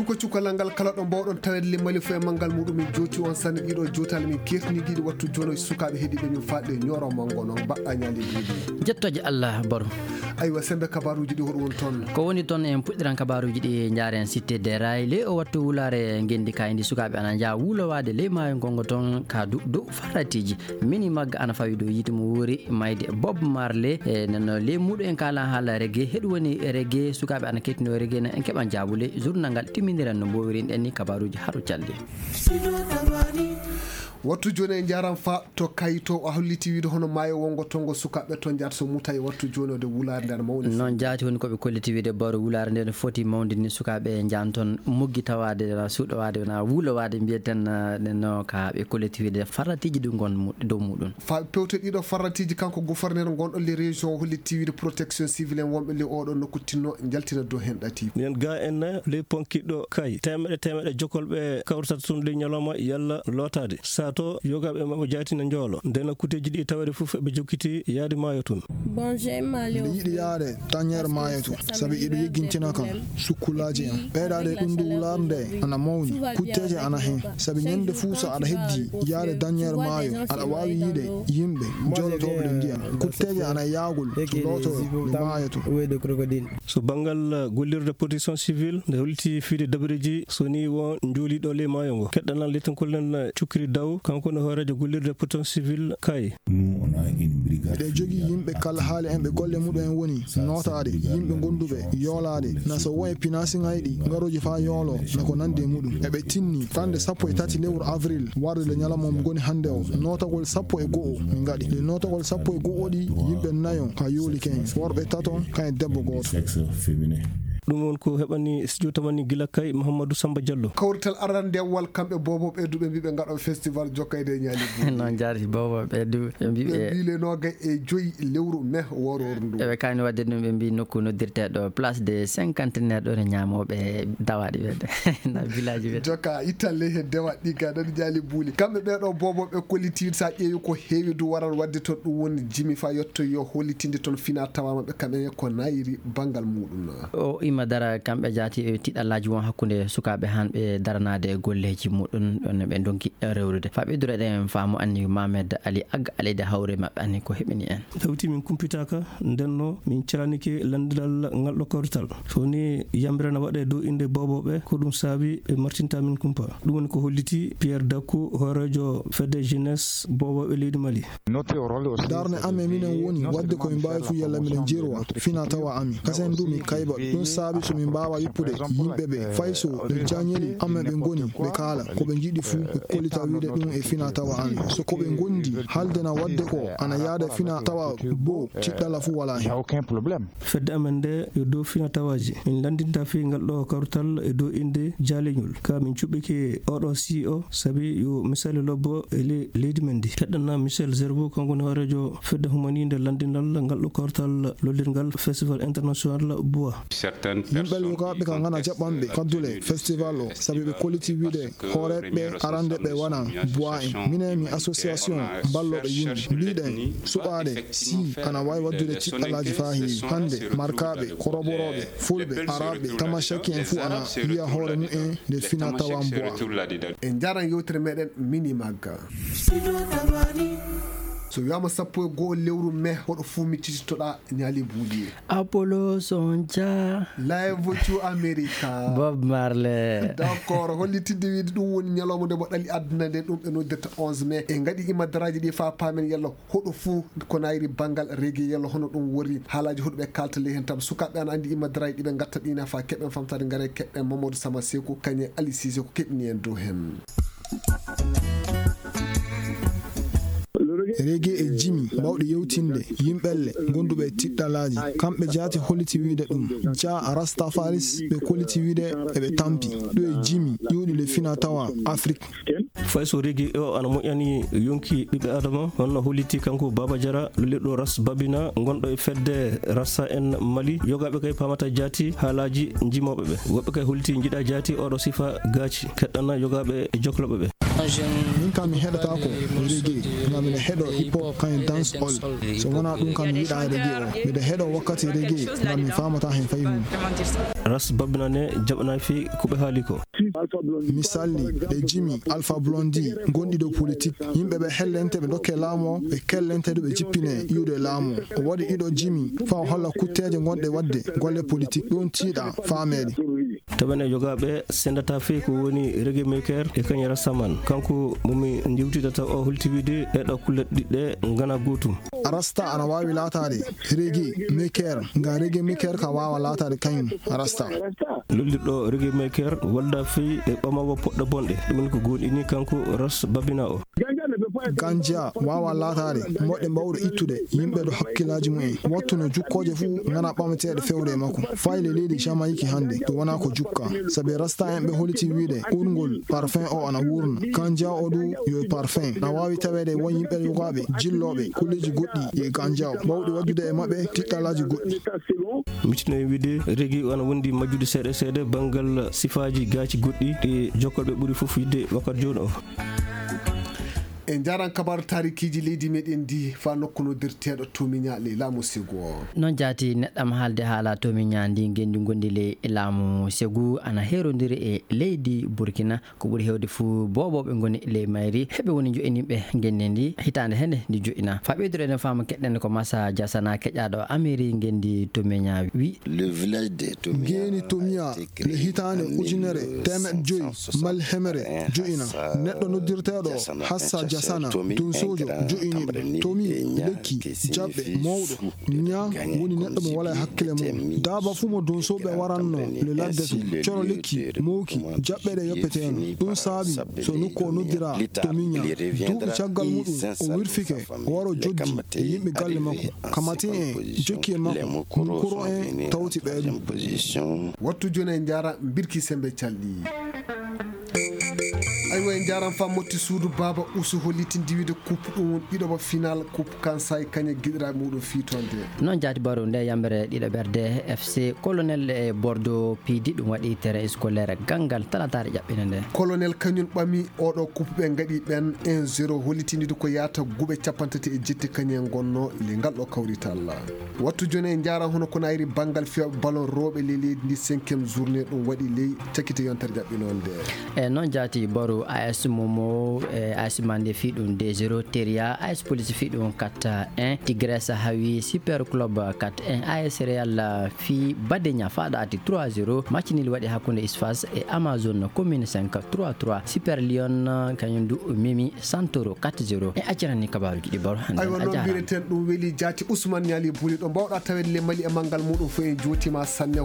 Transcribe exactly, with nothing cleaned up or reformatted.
cuko cukalal ngal kala ɗo mbawɗon tawede limmali fo e manggal muɗum min jooti on sanne ɗiɗo jootali min kertiniɗiɗi wattu jono sukaɓe heeɗiɓe min faɗɗe ñoro mango noon mbaɗɗa ñaali ɗiɗi jettoje Allah baro aywa sembe kabaruji ɗi hoɗo woni toon ko woni toon en puɗɗiran kabaruji ɗi jaren cité des rails le o wattu wulare gendi kayndi sukaɓe ana jaa wulowade ley maayo gongo toon ka dow faratiji mini magga ana fawi dow yiti mo wuri mayde Bob Marley e nano ley muɗum en kala haala reggae heɗu woni reggae sukaɓe ana kettino reggae en keɓan jabule journal ngal timminiran no mbowirin en ni kabaruji haɗo calde wattu joni e jaram fa to kayito o holliti wiide hono maayo wongo tongo sukaɓe toon jaata so muta e wattu joni ode wulare nder mawni noon jaati woni koɓe kolliti wiide baro wulare nde no foti mawdini sukaɓe jan toon muggi tawade suuɗowade na wulowade mbiyeten no ka ɓe kolliti wiide farratiji ɗi gon dow muɗum fa pewte ɗiɗo farratiji kanko gouverneur gonɗo le région holliti wiide protection civil en wonɓe le oɗo nokku tinno jaltina dow hen ɗati nen ga en le ponkiɗɗo kay temeɗe temeɗe jokolɓe kawrtata tun le ñalawma yalla lotade to yogaɓe mabɓe jaatina joolo ndena kuteji ɗi tawede fof ɓe jokkiti yaade maayo tun bon mbiɗa yiɗi yaade dañere maayo tun saabi iɗo yeggintina kam sukkulaji en ɓeeɗade ɗum ndu wulare nde ana mawni kutteje ana hen saabi ñande fuu so aɗa heddi yaade dañere maayo aɗa wawi yiide yimɓe jolotoɓe ɗe ndiyam kutteje ana yaagol loto ɗe maayo tun so banggal gollirde protection civil nde holti fiide dabareji so ni won jooliɗo le maayo ngo keɗɗanal letten kollen cukkiri daw kanko no hoorejo gollirde protection civil kay ɓe jogii yimɓe kala haali en ɓe golle muɗum en woni notaade yimɓe gonduɓe yoolaade na so won e pinasiŋaji ɗi ngaroji fa yoolo nako nandi e muɗum eɓe tinni tande sappo e tati lewru avril warde le ñalamom goni hannde o notagol sappo e go'o min ngaɗi le notagol sappo e go'o ɗi yimɓe nayo ka yooli ken worɓe taton kan e debbo gooto ɗum won ko heɓani studio tamani gila kay Mouhamadou Samba Diallo kawrital arandewal kamɓe bobo ɓeyduɓe mbiɓe gaɗo festival jokkayde ñaali non jaari bobo ɓeydu ɓe mbiɓe mbile noga e joyi lewru mai woror ndu eɓe kayni wadde ɗum ɓe mbi nokku noddirteɗo place de cinquantenaire ɗo ne ñamoɓe dawaɗi wede na village wede jokka italle he dewa ɗi ga ɗaɗi jaali buuli kamɓe ɓeɗo bobo ɓe kollitide sa ƴeewi ko heewi du waral wadde toon ɗum woni jimi fa yetto yo hollitinde toon fina tawamaɓe kamɓe ko nayiri banggal muɗum o ima dara kamɓe jaati e tiɗallaji won hakkude sukaɓe hanɓe daranade e golleji muɗum ɗon ɓe donki rewrude fa ɓeydure ɗen faamu anni Mamed Ali Agga aleyde hawre mabɓe anni ko heɓini en tawti min kumpitaka ndenno min calaniki landidal ngalɗo kawrital so ni yambirana waɗe dow inde boboɓe ko ɗum saabi ɓe martinta min kumpa ɗum woni ko holliti Pierre Dakou hoorejo fedde jeunesse boboɓe leydi Mali darne amen minen woni wadde komin mbawi fu yalla miɗen jerwa fina tawa ami kasen du min kayba ɗum saabi somin mbawa yippude yimɓe ɓe fay so ɓe jañeli amen ɓe goni ɓe kaala koɓe jiiɗi fuu ɓe kollita wiide ɗum e fina tawa ami so koɓe gondi haldena wadde ko ana yaada fina tawa bo ciɗɗala fuu wala hen fedde amen nde e dow fina tawaji min landinta fi ngal ɗo kawrital e dow inde jaaleñol ka min cuɓɓiki oɗo C E O saabi yo misali lobbo e leydi men ndi keɗɗana Michel Zerbo kanko ne hoorejo fedde humanide landinal ngal ɗo kawrital lollirgal festival international bois yimɓe yogaɓe ka gana jaɓɓanɓe kaddule festival o saabi ɓe kolliti wiide hooreɓe arande ɓe wona bois en minen mi association balloɓe yimɓe mbiɗen suɓaɗe si ana wawi waddude ciɗɗalaji fa heewi hande markaɓe koroboroɓe fulɓe araɓe tamashaki en fuu ana wiya hoore mumen nde fina tawan bois en jaran yewtere meɗen mini magga so wiyama sappo e goho lewru mai hoɗo fuu mi tititoɗa ñaali buuli Apollo Sonja live to America Bob Marley d'accord hollitinde wiide ɗum woni ñalawma nde mo ɗali aduna nde ɗum ɓe noddirta onze mai e gaɗi imadaraji ɗi fa paamen yalla hoɗo fuu ko nayri banggal reggae yalla hono ɗum wori haalaji hoɗo ɓe kalta ley hen tam sukaɓe ana andi imadaraji ɗiɓe gatta ɗina fa keɓen famtade gaare keɓɓen Mamadou Sama Sekou kañe Ali Cissé ko keɓni en dow hen reggae e jimi bawɗe yewtinde yimɓelle gonduɓe tiɗɗalaji kamɓe jaati holliti wiide ɗum ja rastafaris ɓe kolliti wiide eɓe tampi ɗo e jimi ƴiwɗi le fina tawa Afrique fay so reggae o ana moƴƴani yonki ɓiɓɓe adama honno holliti kanko Baba Diara lolirɗo ras babina gonɗo e fedde rassa en Mali yogaɓe kay pamata jaati haalaji jimoɓeɓe woɓɓe kay holliti jiiɗa jaati oɗo sifa gaaci keɗɗana yogaɓe e jokloɓeɓe min kam mi heɗata ko reggae ngam miɗa heɗo hip hop kañum dance all so wona ɗum kam mi yiɗa reggae o miɗa heɗo wakkati reggae ngam mi famata hen fayi mum. ras babinane jaɓana fi kuɓe haali ko misali ɓe jimi Alpha Blondy gonɗi dow politique yimɓe ɓe hellente ɓe dokke laamu o ɓe kellente ɗo ɓe jippine iwde laamu o waɗi ɗiɗo jimi fa o holla kutteje gonɗe wadde golle politique ɗum tiiɗa faameede. taɓen e jogaɓe sendata fe ko woni reggae maker e kañum rastaman kanko momi jiwtidata o hultiwide e ɗo kulle ɗiɗɗe gana gotum. rasta ana wawi latade reggae maker nga reggae maker ka wawa latade kañum rasta. lollirɗo reggae maker walda fey e ɓamawo poɗɗo bonɗe ɗum woni ko gonɗini kanko ras babina o. ganja wawa latade moɗɗe mbawɗo ittude yimɓe ɗo hakkillaji mumen wattuno jukkoje fuu gana ɓamateɗe fewre makko fayle leydi jamaïque hande ɗum wona ko jukka sabi rasta en ɓe holiti wiide urgol parfum o ana wurna ganja o du yo parfum na wawi tawede won yimɓe yogaɓe jilloɓe kulleji goɗɗi e ganja o mbawɗi waddude e mabɓe tiɗɗalaji goɗɗi. mitinoye wiide reggae ana wondi majjude seeɗa seeɗa banggal sifaji gaaci goɗɗi ɗi jokkolɓe ɓuuri foof yidde wakkati joni o. en jaran kabaru tarikiji leydi meɗen ndi fa nokku noddirteɗo tomiñali laamu segu o. noon jaati neɗɗam haalde haala tomiña ndi gendi gondi le laamu segu ana herodiri e leydi Burkina ko ɓuuri hewde fuu boboɓe goni le mayri heɓe woni joƴiniɓe genne ndi hitande hende ndi joƴina fa ɓeydoro enen fama keɗɗen ko Massa Diasana keƴaɗo Amérique gendi tomiña wi le village de Tomia geni Tomia le hitande ujunere temeɗɗe joyi mal hemere joƴina neɗɗo noddirteɗo Hassa Diasana dum sojo jo'iniɓe tomi lekki jaɓɓe mawɗo ña woni neɗɗo mo wala hakkille mum daba fu mo donsoɓe waranno le ladde to coro lekki mowki jaɓɓeɗe yoppeteno ɗum saabi so nokku o noddira tomiña duuɓi caggal muɗum o wirfike o waro joddi e yimɓe galle makko kamati en jokki e makko kuro en tawti ɓeeɗum. wattu joni en jara birki sembe calɗi aywa en jaran fa motti suudu baba usu holliti diwide coupe ɗum ɗiɗoɓa final coupe kansay kañe guiɗiraɓe muɗum fitonde noon jaati baro nde yambere ɗiɗo ɓerde F C colonel e Bordeaux piidi ɗum waɗi terrain scolaire gangal talatare ƴaɓɓina nde colonel kañum ɓami oɗo coupe ɓe gaɗi ɓen un zéro hollitinde ko yata guuɓe capantati e jetti kañen gonno le ngal ɗo kawrital wattu joni en jaran hono kono ayri banggal fiyaɓe ballon rewɓe le leydi ndi cinquiéme journée ɗum waɗi ley cakkite yontere ƴaɓɓinonde e noon jaati baro A S Momo e A S Mande fi ɗum deux zéro Teria A S Police fi ɗum quatre un Tigresse hawi Super Club quatre un A S Real fi Badegna faɗa ati trois zéro match nil waɗi hakkunde Isfas e Amazon commune cinq trois trois Super Lion kañum du mimi Santoro quatre zéro e accirani kabaruji ɗi baro hande aywa noon mbireten ɗum weeli jaati Ousmane Niali Buli ɗo mbawɗa tawede le Mali e manggal muɗum fo en jotima sanne